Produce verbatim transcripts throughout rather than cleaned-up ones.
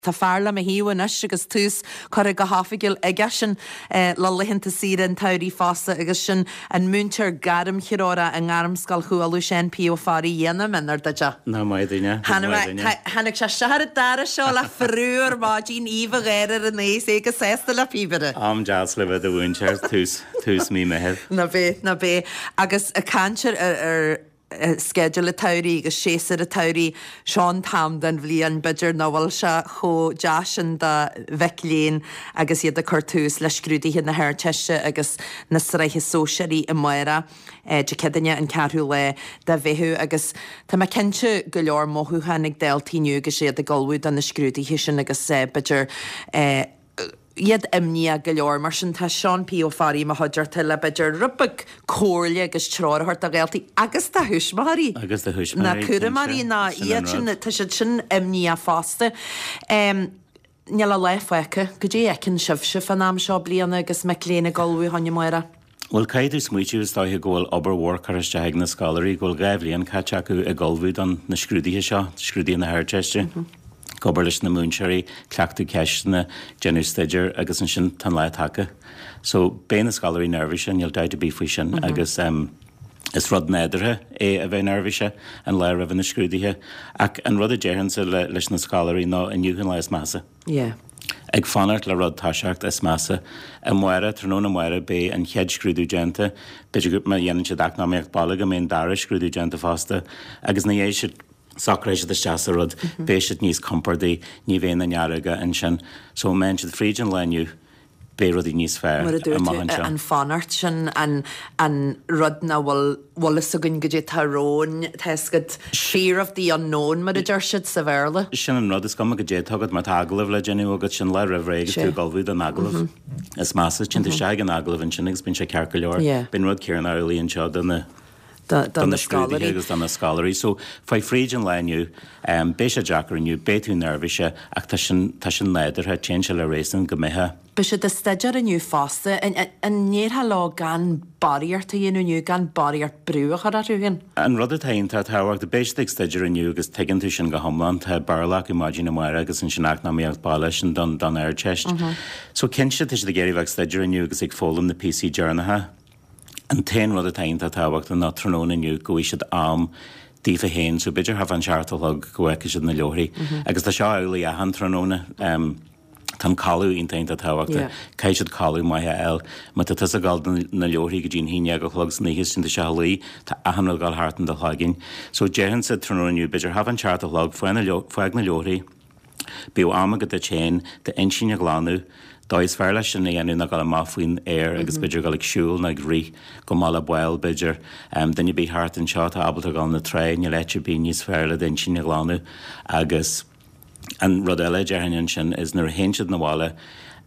Tá fear le mo thaobh anois agus tús curtha go hoifigiúil aigesean le laethanta saoire an tsamhraidh fosta agus sin an múinteoir gairmthreorach i nGairmscoil Chualann, Seán P. Ó Fearraigh dhéanamh in ar duide. Ná maith duine. Tháinig sé isteach ar an doras seo le frú ar maidin aoibh a gháire ar an aos é go sásta le píobaire. Am deas le bheith i do mhúinteoir tús tús mí Mheithimh. Ná bheith ná bheith agus ag caint ar ar sceideal an tsamhraidh agus séasúr an tsamhraidh seo an t-am den bhliain b'fhéidir nach bhfuil sé chomh deas sin do mhic léinn agus iad ag cur tús le scrúduithe na hArdteiste agus na sraithe sóisearaí amárach Dé Céadaoine an ceathrú lá de Mheitheamh agus tá mé cinnte go leor mothúchán ag daltaí inniu agus iad ag ullmhú do na scrúduithe sin agus b'fhéidir iad imníoch go leor mar sin tá Seán P. Ó Fearraigh i mo chuideachta le b'fhéidir rud beag comhairle agus treoir a thabhairt do dhaltaí agus do thuismitheoirí. Agus do thuismitheoirí, Na cúramóirí ná iad sin tá siad sin imníoch fosta. Níl a lá fágtha, goidé a fheiceann sibhse fán am seo bliana agus mic léinn ag ullmhú fá choinne amárach. Bhuel, caithfidh tú smaoitiú is dóiche go bhfuil obair mhór curtha isteach ag na scoláirí, go bhfuil dhá bhliain caite acu ag ullmhú don na scrúduithe seo, scrúduithe na hArdteiste. Ag obair leis na múinteoirí, cleachtadh ceisteanna, déanamh staidéir agus ansin tá an lá tagtha. So beidh na scoláirí neirbhíseach, níl dabht ar bith faoi sin agus um, is rud nádúrtha é a bheith neirbhíseach an lá roimh na scrúduithe. Ach an rud a déarfainnse le, leis na scoláirí ná inniu an lá is measa. Yeah. Ag fanacht le rud toiseacht is measa. Amárach, tráthnóna amárach beidh an chéad scrúdú déanta, b'fhéidir go má dhéanann siad eacnamaíocht baile go mbeidh an dara scrúdú déanta fosta, agus ina dhiaidh sin socróidh siad isteach sa rud, beidh siad níos compordaí, ní bheidh na nearóga ansin. So má théann siad fríd an lá inniu, beidh rudaí níos fearr Mar a dúirt amach tú, anseo. an fanacht sin, an an rud nach bhfuil bhfuil fhios againn goidé atá romhainn, tá fhios agat, fear of the unknown mar a deir siad sa Bhéarla. Sin an rud, is cuma goidé atá agat, má tá agallamh le déanamh agat, sin lá roimh ré agus tú Sea. ag ullmhú don agallamh. Is measa, téann tú isteach ag an agallamh ansin agus bíonn sé ceart go leor. Yeah. Bíonn rud céanna amhlaidh anseo do na Do do na na scrúduithe scoláirí. agus do na scoláirí. So, faigh fríd an lá inniu, beidh sé deacair inniu, beidh tú neirbhíseach ach tá sin, tá sin nádúrtha, téann sé le réasún go mbeifeá. Beidh siad ag staidéar inniu fosta. An ndéarfá leo gan barraíocht a dhéanamh inniu, gan barraíocht brú a chur orthu féin? An rud atá iontach tábhachtach, beidh siad ag staidéar inniu agus tuigeann tú sin go hiomlán, tá Béarla acu maidin amárach agus ansin eacnamaíocht baile, sin don, don Ardteist. So cinnte tá siad ag iarraidh bheith ag staidéar inniu agus ag foghlaim na píosaí deireanacha. An t-aon rud atá iontach tábhachtach ná tráthnóna inniu go bhfaighidh siad am daofa féin, so b'fhéidir thart fán seacht a chlog go bhfeicfidh siad na leabharthaí. Agus tá seo amhlaidh achan tráthnóna. Tá an codladh iontach iontach tábhachtach. Caithfidh siad codladh maith a fháil. Má tá tusa ag dul do na leabharthaí go dtí an haon déag a chlog san oíche is téann tú isteach a luí, tá achan rud ag dul thart in do chloigeann. So déarfainnse tráthnóna inniu, b'fhéidir thart fán seacht a chlog, fág na leabharthaí, Bíodh am agat duit féin d'intinn a ghlanadh. Dóigh is fearr leis sin a dhéanamh ná dul amach faoin aer agus b'fhéidir dul ag siúl nó ag rith go mBaile Báil b'fhéidir. Duine ar bith thart anseo atá ábalta dul na trá, níl áit ar bith níos fearr le d'intinn a ghlanadh. Agus an rud eile a déarfainn ansin is nuair a théann siad 'na bhaile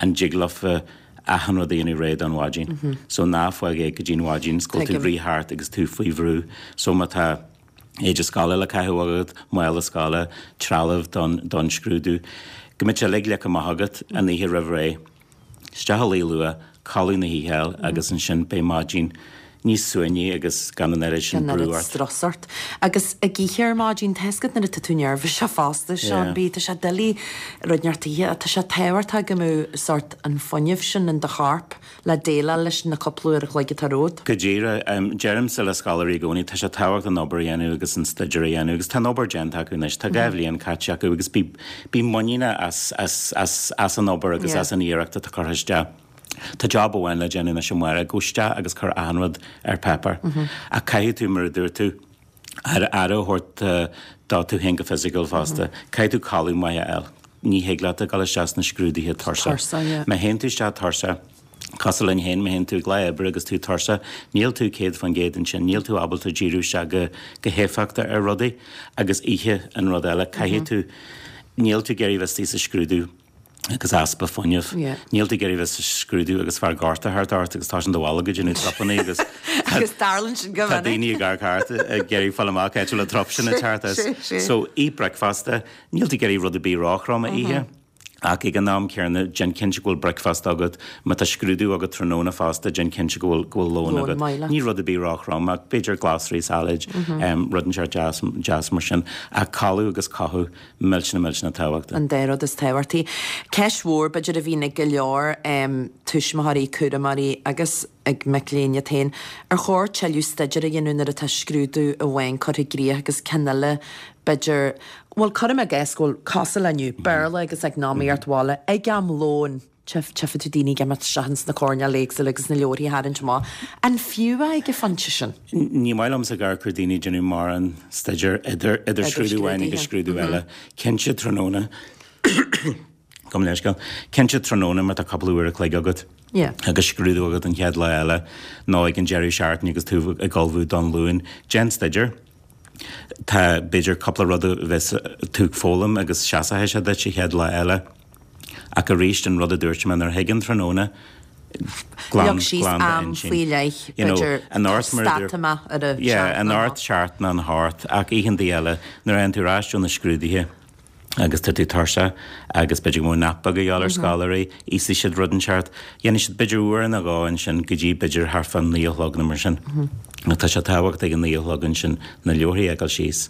an dtig leofa achan rud a dhéanamh réidh don mhaidin. So ná fág é go dtí'n mhaidin 's go bhfuil tú ag rith thart agus tú faoi bhrú. So má tá. éide scoile le caitheamh agat, mála scoile, trealamh don don scrúdú. Go mbeidh sé uilig leagtha amach agat an oíche roimh ré. Isteach a luí luath, codladh na hoíche a fháil agus ansin beidh maidin níos suaimhní agus gan an oiread sin Gan brú oiread ort. strus ort. Agus ag ithe ar maidin, tá fhios agat nuair atá tú neirbhíseach fosta, Seán Yeah. B, tá sé doiligh rud inteacht a ithe, tá sé tábhachtach go mbeadh sórt an fuinneamh sin in do chorp. le déileáil leis na cúpla uair a chloig atá romhat. Go díreach. Deirimse le scoláirí i gcónaí, tá sé tábhachtach an obair a dhéanamh agus an staidéar a dhéanamh agus tá an obair déanta acu anois, tá dhá bhliain caite acu agus bí, bí muiníneach as, as, as, as an obair agus as an iarracht atá curtha isteach. Tá job amháin le déanamh anois amárach, gabh isteach agus cuir achan rud ar páipéar. Ach caithfidh tú, mar a dúirt tú, aire a thabhairt do tú féin go fisiciúil fosta. Caithfidh tú codladh maith a fháil. Ní thig leat a dhul isteach sna scrúduithe tuirseach. Má théann tú isteach tuirseach, cosúil linn féin, má théann tú ag lá oibre agus tú tuirseach, níl tú céad faoin gcéad ansin, níl tú ábalta díriú isteach go go héifeachtach ar rudaí. Agus ithe an rud eile, caithfidh tú, níl tú ag iarraidh bheith istigh sa scrúdú agus easpa fuinnimh. Níl tú ag iarraidh bheith sa scrúdú agus fear gorta thart ort agus tá sin do bholg ag déanamh trupanna agus Agus tarlaíonn sin go tá minic. daoine ag amharc thart ag iarraidh fáil amach cá háit a bhfuil an trup sin ag teacht as. So, ith bricfeasta, níl tú ag iarraidh rud ar bith róthrom a ithe. Ach ag an am céanna, déan cinnte go bhfuil bricfeasta agat, má tá scrúdú agat tráthnóna fosta, déan cinnte go bhfuil go bhfuil lón Lón agat. maith leat. Ní rud ar bith róthrom, ach b'fhéidir glasraí, salad, rud inteacht deas deas mar sin. Ach codladh agus cothú millteanach millteanach tábhachtach. An dá rud is tábhachtaí. Ceist mhór b'fhéidir a bhíonn ag go leor um, tuismitheoirí, cúramóirí agus ag mic léinn iad féin, ar chóir tuilleadh staidéir a dhéanamh nuair atá scrúdú amháin curtha i gcrích agus ceann eile b'fhéidir, bhuel cuirim i gcás go bhfuil cosúil le inniu, Béarla agus eacnamaíocht bhaile ag am lóin tchífidh tú daoine ag imeacht isteach ins na coirnéil éagsúla agus na leabharthaí a tharraingt amach. An fiú é ag an phointe sin? Ní maith liomsa ag amharc ar daoine ag déanamh mórán staidéir idir idir scrúdú amháin agus scrúdú eile. Cinnte tráthnóna gabh mo leithscéal. Cinnte tráthnóna má tá cúpla uair a chloig agat. Yeah. agus scrúdú agat an chéad lá eile nó ag an deireadh seachtaine agus tú ag ullmhú don Luan. Déan staidéar. Tá b'fhéidir cúpla rud a bheas tú ag foghlaim agus seasfaidh sé duit an chéad lá eile. Ach arís an rud a dúirt mé nuair a thig an tráthnóna glan Leag síos glan am d'intinn. faoi leith, You know, b'fhéidir an ort mar a stad dúirt- amach ar a Yeah, seacht an nó ort seacht ná an hocht ach oícheanta eile nuair a théann tú ar ais ó na scrúduithe agus tá tú tuirseach agus b'fhéidir go mbeadh nap beag a dhíobháil ar scoláirí, íosfaidh siad rud inteacht, dhéanfaidh siad b'fhéidir uair nó dhó ansin go dtí b'fhéidir thart fá naoi a chlog nó mar sin. Tá sé tábhachtach ag an naoi a chlog ansin na leabharthaí a fhágáil síos,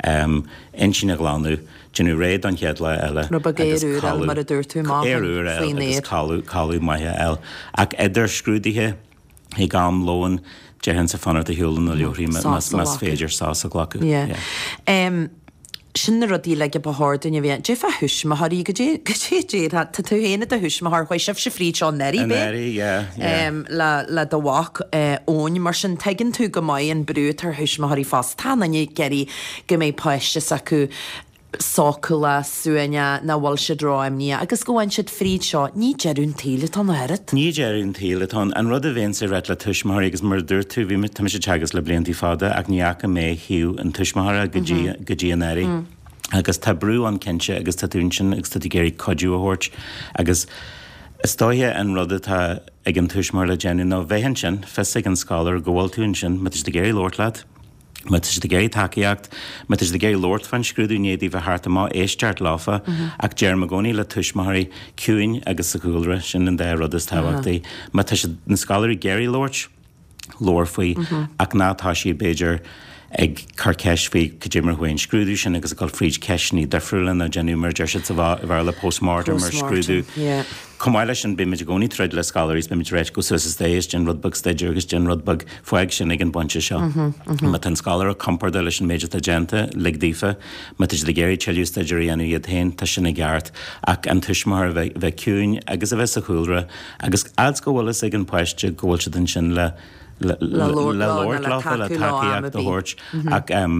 um, intinn a ghlanadh, déanamh réidh don chéad lá eile. Rud beag agus aer úr eile, codladh- mar a dúirt tú, amach aer úr eile faoin agus aer. codladh codladh maith a fháil. Ach idir scrúduithe ag am lóin déarfainnse fanacht ar shiúl na leabharthaí Sos a más ghlacadh. féidir sos a ghlacadh. Yeah. Um, sin na rudaí le ba chóir dúinn a bheith. Cad é fá thuismitheoirí go dé go dé dé tá tú féin i do thuismitheoir chuaigh sibhse fríd seo anuraidh An bé? éirí, yeah, yeah. Um, le, le do mhac uh, Eoin mar sin tuigeann tú go maith an brú atá ar thuismitheoirí fosta tá an ag iarraidh go mbeidh páiste s'acu sócúlach suaimhneach nach bhfuil siad ró-imníoch agus go bhfaigheann siad fríd seo ní deireadh an tsaoil atá ann oiread. Ní deireadh an tsaoil atá ann. An rud a bhíonn ag rá le tuismitheoirí agus mar a dúirt tú bhí tá mise ag teagasc le blianta fada ach ní fhaca mé thaobh an tuismitheora go dtí go dtí anuraidh. Agus tá brú ann cinnte agus tá tú ansin agus tá tú ag iarraidh cuidiú a thabhairt agus is dóiche an rud atá ag an tuismitheoir le déanamh ná bheith ansin fios ag an scoláire go bhfuil tú ansin má tá siad ag iarraidh labhairt leat. Má tá siad ag iarraidh tacaíocht, má tá siad ag iarraidh labhairt fán scrúdú i ndiaidh daofa theacht amach éisteacht leofa, ach deirim i gcónaí le tuismitheoirí ciúin agus sa chúlra sin an dá rud is tábhachtaí. Má tá siad na scoláirí ag iarraidh labhairt, labhair faoi ach ná tá sí b'fhéidir ag cur ceist faoi cad é mar chuaigh an scrúdú sin agus ag dul fríd ceisteanna difriúla nó déanamh mar deir siad sa Bhéarla postmortem ar scrúdú. Yeah. Chomh maith leis sin bímid i gcónaí troid le scoláirí bímid ag rá gabh suas is déan rud beag staidéir agus déan rud beag fág sin ag an bpointe seo. Má tá an scoláire compordach leis an méid atá déanta, lig daofa, má tá siad ag iarraidh tuilleadh staidéir a dhéanamh iad féin, tá sin i gceart ach an tuismitheoir a bheith bheith ciúin agus a bheith sa chúlra agus fhad go bhfuil fhios ag an páiste go bhfuil siad ansin le le Le labhairt le leo, labhairt le leofa, le tacú leo am tacaíocht ar a bith. thabhairt ach um,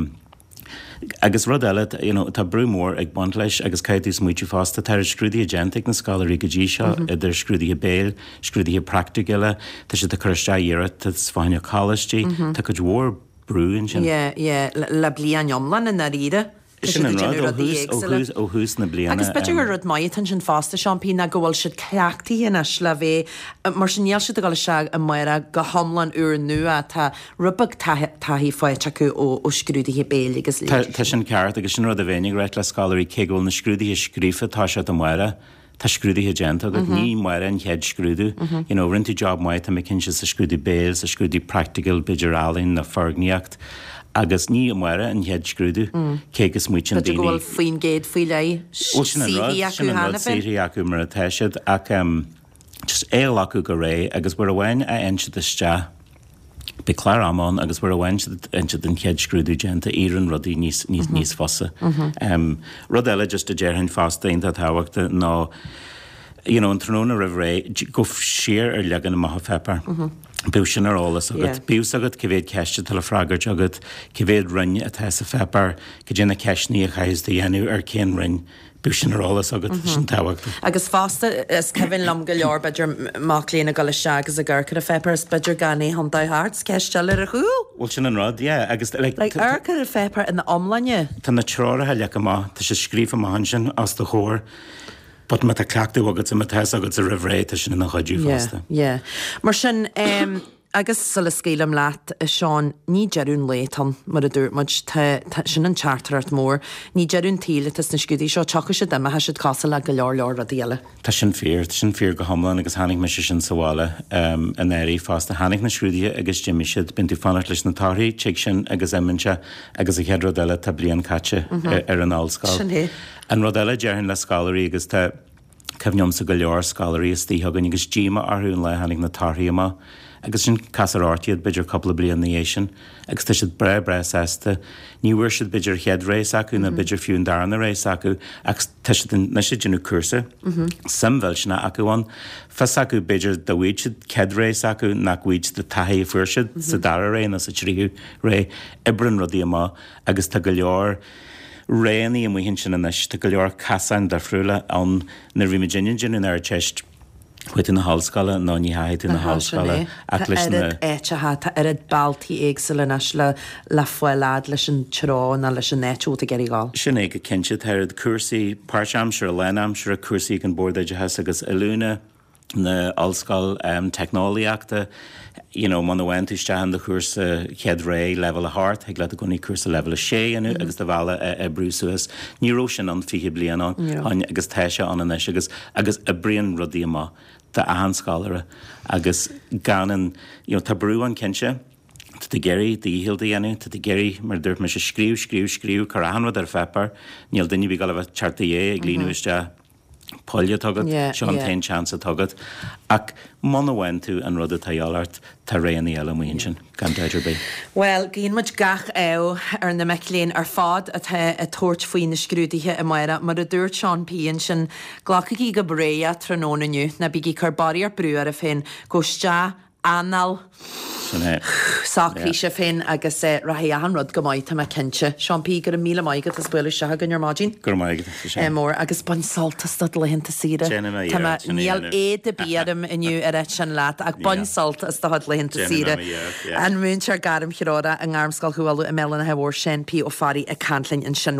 agus rud eile you know, tá brú mór ag baint leis agus caithfidh tú smaoitiú fosta tá scrúduithe déanta ag na scoláirí go dtí seo idir scrúduithe béil, scrúduithe praiticiúla, tá siad ag cur isteach iarratas fá choinne coláistí, tá cuid mhór brú ansin. Yeah, yeah, le, le bliain iomlán i ndáiríre. Tá Sin siad an ag rud déanamh ó rudaí thús, ó éagsúla. thús, ó thús na bliana. Agus b'fhéidir um, gur rud maith atá sin fosta Seán P ná go bhfuil siad cleachtaithe anois le bheith mar sin níl siad ag dul isteach amárach go hiomlán úr nua tá rud beag taithí faighte acu ó, ó scrúduithe béil agus Tá tá sin ceart agus sin rud a bheinn ag rá le scoláirí cé go bhfuil na scrúduithe scríofa tá siad amárach, tá scrúduithe déanta agat ní amárach an chéad scrúdú. You know, rinne tú job maith tá mé cinnte sa scrúdú béil, sa scrúdú practical, b'fhéidir ealaín nó foirgníocht, agus ní amárach an chéad scrúdú cé go smaoitíonn B'fhéidir go daoine. bhfuil faoin gcéad faoi leith Well, sin an rud, saothaí acu sin an rud cheana féin. saothaí acu mar atá siad ach um, just é a ghlacadh go réidh agus uair amháin a théann siad isteach Beidh clár ama ann agus uair amháin siad an chéad scrúdú déanta éiríonn rudaí níos níos níos fusa. Um, rud eile just a déarfainn fosta iontach tábhachtach ná you know, an tráthnóna roimh ré go siar ar leagan amach an pháipéir. Bíodh sin ar eolas agat, Yeah. Bíodh agat cé mhéad ceist atá le freagairt agat, cé mhéad roinn atá sa pháipéar, cad é na ceisteanna a chaithfidh tú a dhéanamh ar cén roinn, bíodh sin ar eolas agat sin tábhachtach. Agus fosta is cuimhin liom go leor b'fhéidir mac léinn ag dul isteach agus ag amharc ar an pháipéar is b'fhéidir gan é chun heart ceist eile ar a chúl. Well sin an rud, yeah, agus like, Like amharc ar an pháipéar ina iomláine. Tá na treoracha leagtha amach, tá sé scríofa amach ansin os do chomhair, but má tá cleachtadh agat má tá agat sa roimh ré tá sin ina chuidiú Yeah, fosta. yeah. Mar sin um, Agus sula scaoilim leat, a Seán, ní deireadh an lae atá ann, mar a dúirt muid, tá, tá, sin an teachtaireacht mór. Ní deireadh an tsaoil atá sna scrúduithe seo, tiocfaidh siad, imeoidh siad cosúil le go leor leor rudaí eile. Tá sin fíor, tá sin fíor go hiomlán agus chonaic mise sin sa bhaile anuraidh fosta. Tháinig na scrúduithe agus d'imigh siad, bíonn tú fanacht leis na torthaí, tig sin agus imíonn sé agus an chéad rud eile tá bliain caite ar an ollscoil. Sin é. An rud eile déarfainn le scoláirí agus tá, cuimhin liomsa go leor scoláirí istigh againn agus díomá orthu an lá a tháinig na torthaí amach agus sin castar ort iad b'fhéidir cúpla bliain ina dhiaidh sin agus tá siad breá breá sásta. Ní bhfuair siad b'fhéidir an chéad rogha s'acu nó b'fhéidir fiú an darna rogha s'acu ach tá siad anois ag déanamh cúrsa, suim mhillteanach acu ann. Fios acu b'fhéidir dá bhfaigheadh siad céad rogha s'acu nach bhfaigheadh siad an taithí a fuair siad sa dara rogha nó sa tríú rogha. Oibríonn rudaí amach agus tá go leor roghanna amuigh ansin anois, tá go leor casáin difriúla ann. Nuair a bhí muidinne ag déanamh an Ardteist, chuaigh tú na hollscoile nó ní theachaigh tú na hollscoile ach leis na. Tá oiread áiteacha, tá oiread bealtaí éagsúla anois le le fáil fhad leis an treo nó leis an áit a bhfuil tú ag iarraidh dhul. Sin é go cinnte, tá oiread cúrsaí páirtaimseartha, lánaimseartha, cúrsaí ag an Bord Oideachais agus Oiliúna, na Ollscoil Teicneolaíochta, you know, muna bhfaigheann tú isteach in do chúrsa chéad rogha leibhéal a hocht, thig leat i gcónaí cúrsa leibhéal a sé a dhéanamh agus do bhealach a oibriú suas. Ní raibh sin ann fiche bliain ó shin agus tá sé ann anois agus agus oibríonn rudaí amach d'achan scoláire agus gan an, you know, tá brú ann cinnte, tá tú ag iarraidh do dhícheall a dhéanamh, tá tú ag iarraidh, mar a dúirt mise, scríobh, scríobh, scríobh, cuir achan rud ar pháipéar, níl duine ar bith ag gabháil a bheith ag teacht i do dhiaidh ag líonadh isteach. poill atá agat, seo an t-aon seans atá agat. Ach muna bhfaigheann tú an rud atá a dhíobháil ort, tá roghanna eile amuigh ansin, gan dabht ar bith. Bhuel, guíonn muid gach ádh ar na mic léinn ar fad atá ag tabhairt faoi na scrúduithe amárach. Mar a dúirt Seán P. ansin, glacaigí go réidh é tráthnóna inniu, ná bígí ag cur barraíocht brú oraibh féin, gabh isteach, anáil, Sin é. socraigh sibh féin agus rachaidh achan rud go maith, tá mé cinnte. Seán P, go raibh míle maith agat as bualadh isteach againn ar maidin. Go raibh maith agat, a Seán. Mór agus bain sult as do laethanta saoire. Déanfaidh mé Tá mé, iarracht sin a níl dhéanamh. éad ar bith orm inniu a rá sin leat ach bain sult as do chuid laethanta Déanfaidh saoire. mé iarracht, yeah. An múinteoir gairmthreorach i nGairmscoil Chú Uladh i mBéal an Átha Mhóir, Seán P Ó Fearraigh ag caint linn ansin.